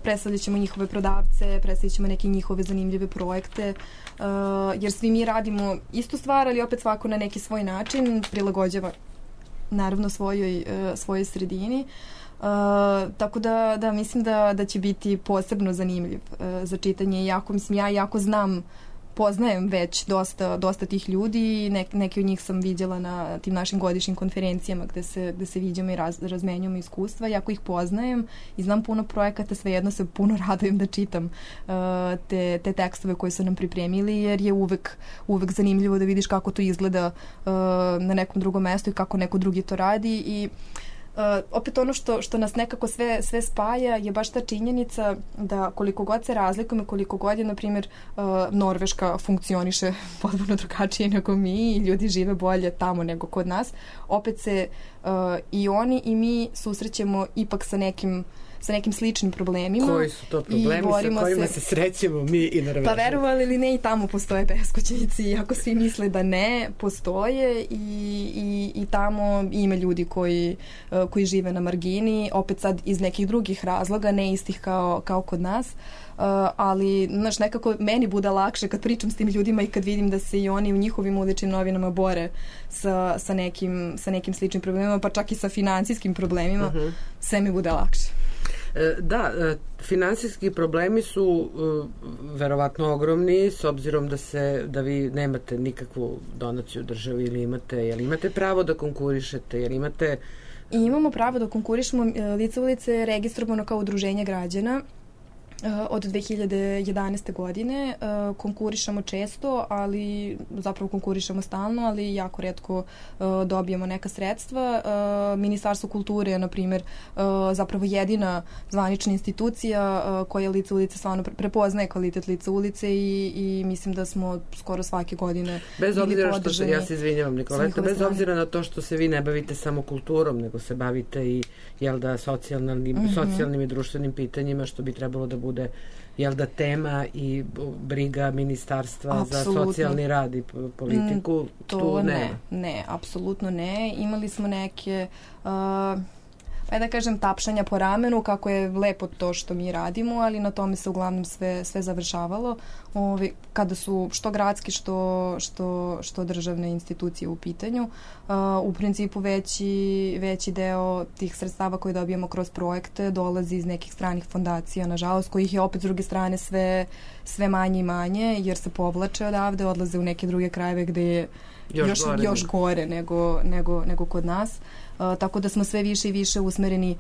Speaker 4: predstavljat ćemo njihove prodavce, predstavljat ćemo neke njihove zanimljive projekte, uh, jer svi mi radimo istu stvar, ali opet svako na neki svoj način prilagođava naravno svojoj, uh, svojoj sredini. Uh, tako da, da mislim da, da će biti posebno zanimljiv uh, za čitanje. Jako, mislim, ja jako znam, poznajem već dosta, dosta tih ljudi i ne, neke od njih sam vidjela na tim našim godišnjim konferencijama gde se, gde se viđamo i raz, razmenjujemo iskustva. Jako ih poznajem i znam puno projekata, svejedno se puno radujem da čitam uh, te, te tekstove koje su nam pripremili, jer je uvek, uvek zanimljivo da vidiš kako to izgleda uh, na nekom drugom mestu i kako neko drugi to radi. I Uh, opet ono što, što nas nekako sve, sve spaja je baš ta činjenica da koliko god se razlikujemo, koliko god je, na primjer, uh, Norveška funkcioniše potpuno drugačije nego mi i ljudi žive bolje tamo nego kod nas, opet se uh, i oni i mi susrećemo ipak sa nekim sa nekim sličnim problemima.
Speaker 3: Koji su to problemi sa kojima se, se srećemo mi i Norvežani?
Speaker 4: Pa verovali ili ne, i tamo postoje beskućnici, ako svi misle da ne, postoje i, i, i tamo ima ljudi koji, uh, koji žive na margini, opet sad iz nekih drugih razloga, ne istih kao, kao kod nas. Uh, ali, znaš, nekako meni bude lakše kad pričam s tim ljudima i kad vidim da se i oni u njihovim uličnim novinama bore sa, sa, nekim, sa nekim sličnim problemima, pa čak i sa finansijskim problemima, uh-huh. sve mi bude lakše.
Speaker 3: Da, finansijski problemi su verovatno ogromni, s obzirom da se da vi nemate nikakvu donaciju državi, ili imate, jel imate pravo da konkurišete, jel imate...
Speaker 4: I imamo pravo da konkurišemo. Lice ulice je registrovano kao udruženje građana od dve hiljade jedanaeste godine. Konkurišemo često, ali zapravo konkurišemo stalno, ali jako retko dobijemo neka sredstva. Ministarstvo kulture je, na primjer, zapravo jedina zvanična institucija koja Lice ulice stvarno prepoznaje kvalitet Lice ulice i, i mislim da smo skoro svake godine
Speaker 3: bez obzira što se, ja se izvinjavam Nikoleta, bez obzira na to što se vi ne bavite samo kulturom, nego se bavite i, jel da, socijalnim, mm-hmm. socijalnim i društvenim pitanjima, što bi trebalo da bude bude jel da tema i briga ministarstva
Speaker 4: Apsolutno.
Speaker 3: za socijalni rad i politiku?
Speaker 4: Mm, to
Speaker 3: tu
Speaker 4: ne,
Speaker 3: nema.
Speaker 4: ne, apsolutno ne. Imali smo neke... Uh, pa da kažem, tapšanja po ramenu, kako je lepo to što mi radimo, ali na tome se uglavnom sve, sve završavalo. Ovi, kada su što gradski, što, što, što državne institucije u pitanju. Uh, u principu veći, veći deo tih sredstava koje dobijemo kroz projekte dolazi iz nekih stranih fondacija, nažalost, kojih je opet s druge strane sve, sve manje i manje, jer se povlače odavde, odlaze u neke druge krajeve gde je još, još, gore, još gore nego, nego, nego kod nas. Uh, tako da smo sve više i više usmereni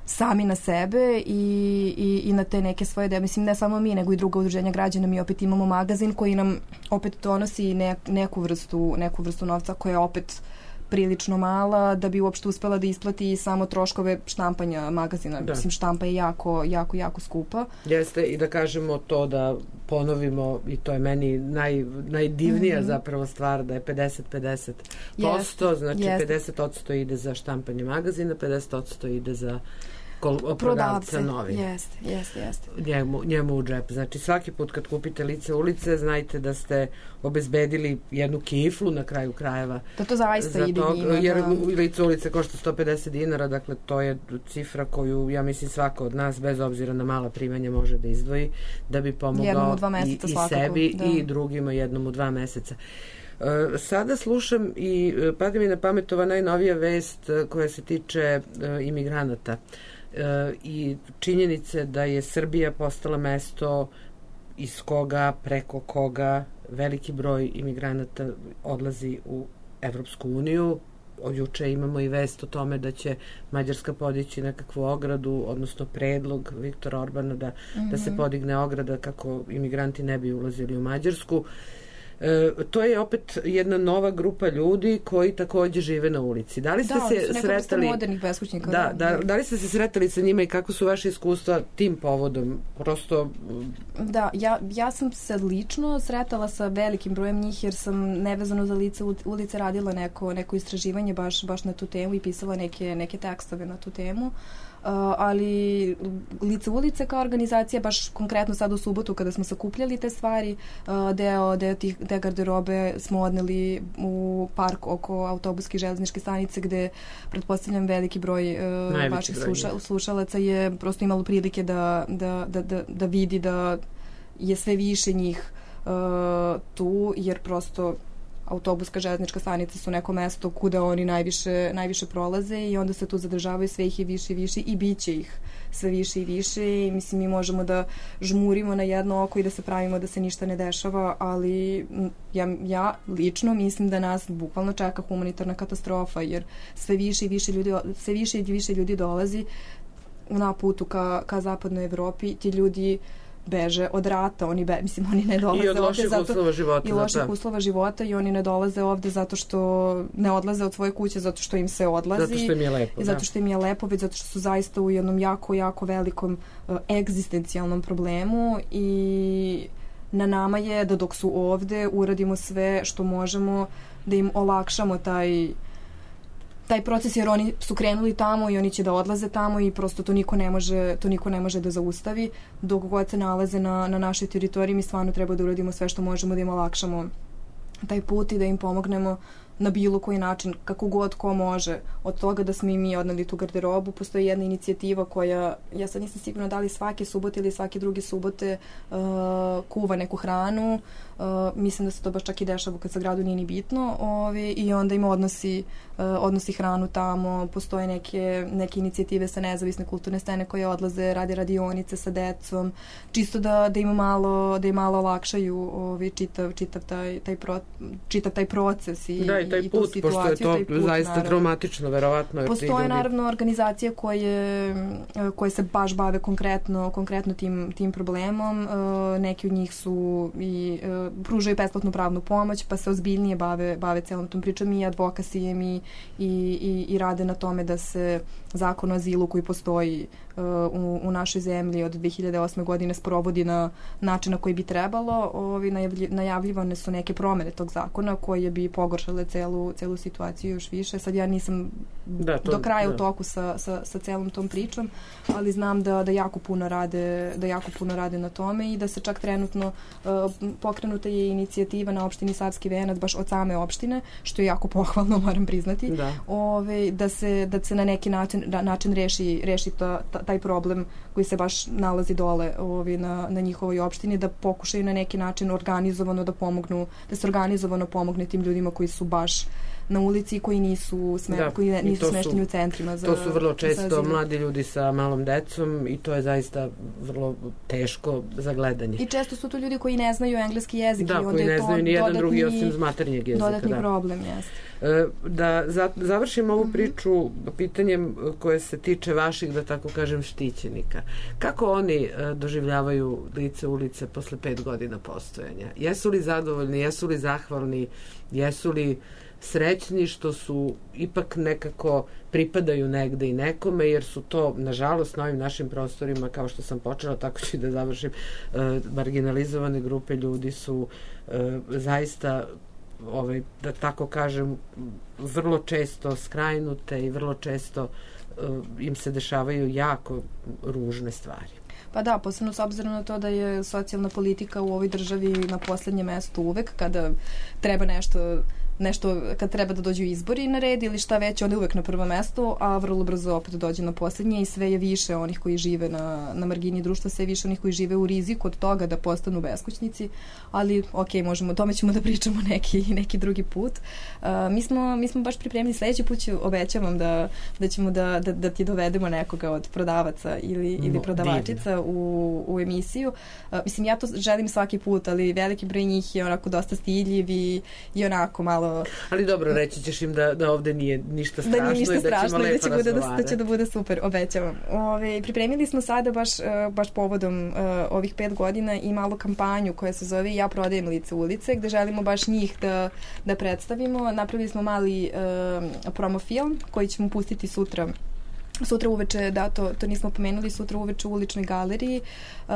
Speaker 4: sami na sebe i, i, i na te neke svoje ideje. Mislim, ne samo mi, nego i druga udruženja građana. Mi opet imamo magazin koji nam opet donosi ne, neku, vrstu, neku vrstu novca koja je opet prilično mala da bi uopšte uspela da isplati samo troškove štampanja magazina. Da. Mislim, štampa je jako, jako, jako skupa.
Speaker 3: Jeste, i da kažemo to da ponovimo, i to je meni naj, najdivnija mm-hmm. zapravo stvar, da je pedeset pedeset posto,
Speaker 4: Jeste.
Speaker 3: znači
Speaker 4: Jeste.
Speaker 3: pedeset posto ide za štampanje magazina, pedeset posto ide za prodavca
Speaker 4: Prodavce.
Speaker 3: novina.
Speaker 4: Jeste, jeste, jeste.
Speaker 3: Njemu, njemu u džep. Znači svaki put kad kupite Lice ulice, znajte da ste obezbedili jednu kiflu na kraju krajeva.
Speaker 4: Da to zaista
Speaker 3: za
Speaker 4: ide
Speaker 3: to,
Speaker 4: njima.
Speaker 3: jer
Speaker 4: da...
Speaker 3: Lice ulice košta sto pedeset dinara, dakle to je cifra koju, ja mislim, svako od nas, bez obzira na mala primanja, može da izdvoji, da bi pomogao i, i sebi da. I drugima jednom u dva meseca. Uh, sada slušam i uh, pada mi na pamet ova najnovija vest uh, koja se tiče uh, imigranata uh, i činjenice da je Srbija postala mesto iz koga, preko koga veliki broj imigranata odlazi u Evropsku uniju. Od juče imamo i vest o tome da će Mađarska podići nekakvu ogradu, odnosno predlog Viktora Orbana da, mm-hmm. da se podigne ograda kako imigranti ne bi ulazili u Mađarsku. E, to je opet jedna nova grupa ljudi koji takođe žive na ulici. Da li ste
Speaker 4: da,
Speaker 3: se sretali
Speaker 4: modernih beskućnika.
Speaker 3: Da, da, da li ste se sretali sa njima i kako su vaše iskustva tim povodom? Prosto
Speaker 4: Da, ja, ja sam se lično sretala sa velikim brojem njih jer sam nevezano za Lice ulice radila neko, neko istraživanje baš, baš na tu temu i pisala neke, neke tekstove na tu temu. Uh, ali Lice ulice kao organizacija, baš konkretno sad u subotu kada smo sakupljali te stvari, uh, deo, deo tih, te garderobe smo odneli u park oko autobuske i železničke stanice gde pretpostavljam veliki broj uh, vaših broj, sluša, slušalaca je prosto imalo prilike da, da, da, da, da vidi da je sve više njih uh, tu, jer prosto autobuska železnička stanica su neko mesto kuda oni najviše, najviše prolaze i onda se tu zadržavaju, sve ih je više i više i bit će ih sve više i više i mislim mi možemo da žmurimo na jedno oko i da se pravimo da se ništa ne dešava, ali ja, ja lično mislim da nas bukvalno čeka humanitarna katastrofa jer sve više i više ljudi, sve više i više ljudi dolazi na putu ka, ka zapadnoj Evropi, ti ljudi beže od rata, oni be, mislim oni ne dolaze
Speaker 3: i od loših
Speaker 4: zato,
Speaker 3: uslova života
Speaker 4: i loših uslova života i oni ne dolaze ovde zato što ne odlaze od svoje kuće zato što im se odlazi
Speaker 3: zato što im je lepo,
Speaker 4: i zato što im je lepo, već zato što su zaista u jednom jako, jako velikom uh, egzistencijalnom problemu i na nama je da dok su ovde uradimo sve što možemo da im olakšamo taj taj proces jer oni su krenuli tamo i oni će da odlaze tamo i prosto to niko ne može, to niko ne može da zaustavi. Dok god se nalaze na, na našoj teritoriji mi stvarno treba da uradimo sve što možemo da im olakšamo taj put i da im pomognemo na bilo koji način, kako god ko može. Od toga da smo i mi odneli tu garderobu, postoji jedna inicijativa koja, ja sad nisam sigurna da li svake subote ili svake druge subote uh, kuva neku hranu. Uh, mislim da se to baš čak i dešava kad sa gradu nije ni bitno ovi, i onda im odnosi, uh, odnosi hranu tamo. Postoje neke, neke inicijative sa nezavisne kulturne scene koje odlaze, rade radionice sa decom, čisto da, da im malo, da im malo olakšaju ovi, čitav, čitav, taj, taj pro, čitav taj proces i,
Speaker 3: da, i taj
Speaker 4: i
Speaker 3: put,
Speaker 4: tu situaciju,
Speaker 3: pošto je to
Speaker 4: put,
Speaker 3: zaista
Speaker 4: naravno.
Speaker 3: traumatično, verovatno.
Speaker 4: Postoje naravno organizacije koje, koje se baš bave konkretno, konkretno tim, tim problemom. Neki od njih su i pružaju besplatnu pravnu pomoć, pa se ozbiljnije bave, bave celom tom pričom i advokasijem i, i, i, i rade na tome da se zakon o azilu koji postoji u, u našoj zemlji od dve hiljade osme godine sprovodi na način na koji bi trebalo. Ovi najavljivane su neke promene tog zakona koje bi pogoršale celu, celu situaciju još više. Sad ja nisam
Speaker 3: da, to,
Speaker 4: do kraja
Speaker 3: da.
Speaker 4: u toku sa, sa, sa celom tom pričom, ali znam da, da jako puno rade, da jako puno rade na tome i da se čak trenutno uh, pokrenuta je inicijativa na opštini Savski Venac baš od same opštine, što je jako pohvalno, moram priznati,
Speaker 3: da,
Speaker 4: Ove, da, se, da se na neki način, da, način reši, reši ta, ta, taj problem koji se baš nalazi dole ove, na, na njihovoj opštini, da pokušaju na neki način organizovano da pomognu, da se organizovano pomogne tim ljudima koji su baš na ulici, koji nisu, sme,
Speaker 3: da,
Speaker 4: koji ne, nisu
Speaker 3: su,
Speaker 4: smešteni u centrima za,
Speaker 3: to su vrlo često
Speaker 4: za
Speaker 3: mladi ljudi sa malom decom i to je zaista vrlo teško za gledanje.
Speaker 4: I često su to ljudi koji ne znaju engleski jezik.
Speaker 3: Da,
Speaker 4: i onda
Speaker 3: koji ne
Speaker 4: je to
Speaker 3: znaju ni jedan
Speaker 4: dodatni,
Speaker 3: drugi osim maternjeg jezika.
Speaker 4: Dodatni
Speaker 3: da.
Speaker 4: problem, jeste.
Speaker 3: Da za, završim ovu
Speaker 4: mm-hmm.
Speaker 3: priču pitanjem koje se tiče vaših, da tako kažem, štićenika. Kako oni uh, doživljavaju Lice ulice posle pet godina postojanja? Jesu li zadovoljni, jesu li zahvalni, jesu li srećni što su ipak nekako pripadaju negde i nekome, jer su to, nažalost, na ovim našim prostorima, kao što sam počela, tako ću i da završim, uh, marginalizovane grupe ljudi su uh, zaista ovaj, da tako kažem, vrlo često skrajnute i vrlo često uh, im se dešavaju jako ružne stvari.
Speaker 4: Pa da, posebno s obzirom na to da je socijalna politika u ovoj državi na poslednjem mestu uvek kada treba nešto nešto kad treba da dođu izbori na red ili šta već, onda je uvek na prvom mestu, a vrlo brzo opet dođe na poslednje i sve je više onih koji žive na, na margini društva, sve je više onih koji žive u riziku od toga da postanu beskućnici, ali ok, možemo, o tome ćemo da pričamo neki, neki drugi put. Uh, mi, smo, mi smo baš pripremili, sledeći put ću, obećavam da, da ćemo da, da, da ti dovedemo nekoga od prodavaca ili, ili
Speaker 3: no,
Speaker 4: prodavačica u, u emisiju. Uh, mislim, ja to želim svaki put, ali veliki broj njih je onako dosta stiljiv i, i onako malo.
Speaker 3: Ali dobro, reći ćeš im da, da ovde nije ništa strašno,
Speaker 4: da nije ništa
Speaker 3: i da
Speaker 4: strašno
Speaker 3: ćemo lepo
Speaker 4: i da će, bude, da, da će da bude super, obećavam. Ove, pripremili smo sada baš, baš povodom uh, ovih pet godina i malu kampanju koja se zove Ja prodajem Lice ulice, gde želimo baš njih da, da predstavimo. Napravili smo mali uh, promo film koji ćemo pustiti sutra Sutra uveče, da, to, to nismo pomenuli, sutra uveče u Uličnoj galeriji uh,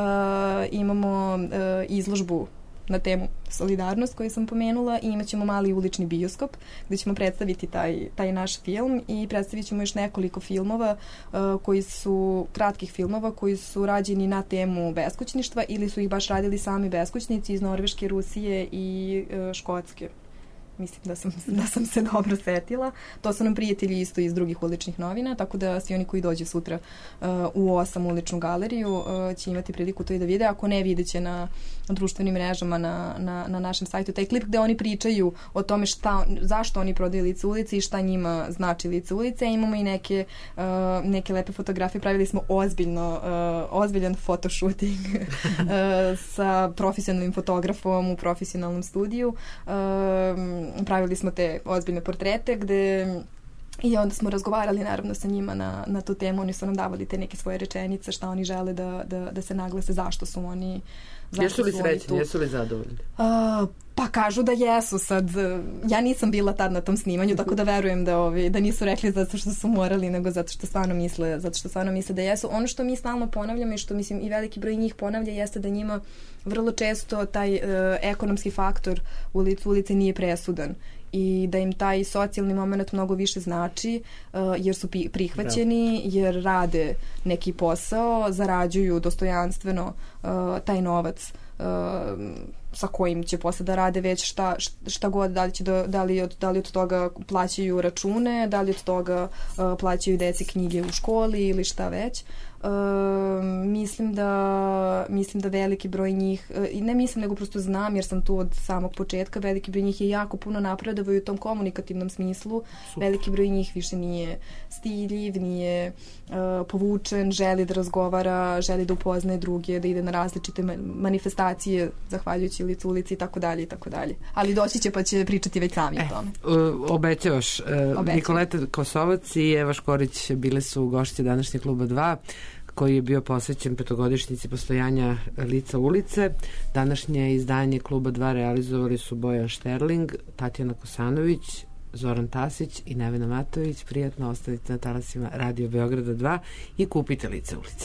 Speaker 4: imamo uh, izložbu na temu solidarnost koju sam pomenula i imat ćemo mali ulični bioskop gde ćemo predstaviti taj, taj naš film i predstavit ćemo još nekoliko filmova uh, koji su, kratkih filmova koji su rađeni na temu beskućništva ili su ih baš radili sami beskućnici iz Norveške, Rusije i uh, Škotske. Mislim da sam, da sam se dobro setila. To su nam prijatelji isto iz drugih uličnih novina, tako da svi oni koji dođu sutra uh, u osam uličnu galeriju uh, će imati priliku to i da vide. Ako ne, vidjet će na društvenim mrežama na, na, na našem sajtu taj klip gde oni pričaju o tome šta, zašto oni prodaju Lice ulice i šta njima znači Lice ulice. Imamo i neke, uh, neke lepe fotografije. Pravili smo ozbiljno, uh, ozbiljan fotoshooting uh, sa profesionalnim fotografom u profesionalnom studiju. Uh, pravili smo te ozbiljne portrete gde i onda smo razgovarali naravno sa njima na, na tu temu, oni su nam davali te neke svoje rečenice, šta oni žele da, da, da se naglase, zašto su oni zašto
Speaker 3: jesu li
Speaker 4: su
Speaker 3: srećni,
Speaker 4: oni
Speaker 3: jesu li zadovoljni?
Speaker 4: Uh, pa kažu da jesu sad, ja nisam bila tad na tom snimanju, tako da verujem da, ovi, da nisu rekli zato što su morali, nego zato što stvarno misle, zato što stvarno misle da jesu. Ono što mi stalno ponavljamo i što mislim i veliki broj njih ponavlja jeste da njima vrlo često taj uh, ekonomski faktor u Licu ulice nije presudan i da im taj socijalni moment mnogo više znači uh, jer su pi- prihvaćeni, jer rade neki posao, zarađuju dostojanstveno uh, taj novac uh, sa kojim će posle da rade već šta, šta god, da li, će do, da, li od, da li od toga plaćaju račune, da li od toga uh, plaćaju deci knjige u školi ili šta već. Uh, mislim da mislim da veliki broj njih i uh, ne mislim nego prosto znam jer sam tu od samog početka, veliki broj njih je jako puno napredovao u tom komunikativnom smislu. Super. Veliki broj njih više nije stiljiv, nije uh, povučen, želi da razgovara, želi da upoznaje druge, da ide na različite manifestacije zahvaljujući Licu ulici i tako dalje i tako dalje. Ali doći će pa će pričati već sami e, o tome.
Speaker 3: Uh, obećavaš. Uh, Nikoleta Kosovac i Eva Škorić bile su gošće današnjeg Kluba dva koji je bio posvećen petogodišnjici postojanja Lica ulice. Današnje izdanje Kluba dva realizovali su Bojan Šterling, Tatjana Kosanović, Zoran Tasić i Nevena Matović. Prijatno ostavite na talasima Radio Beograda dva i kupite Lice ulice.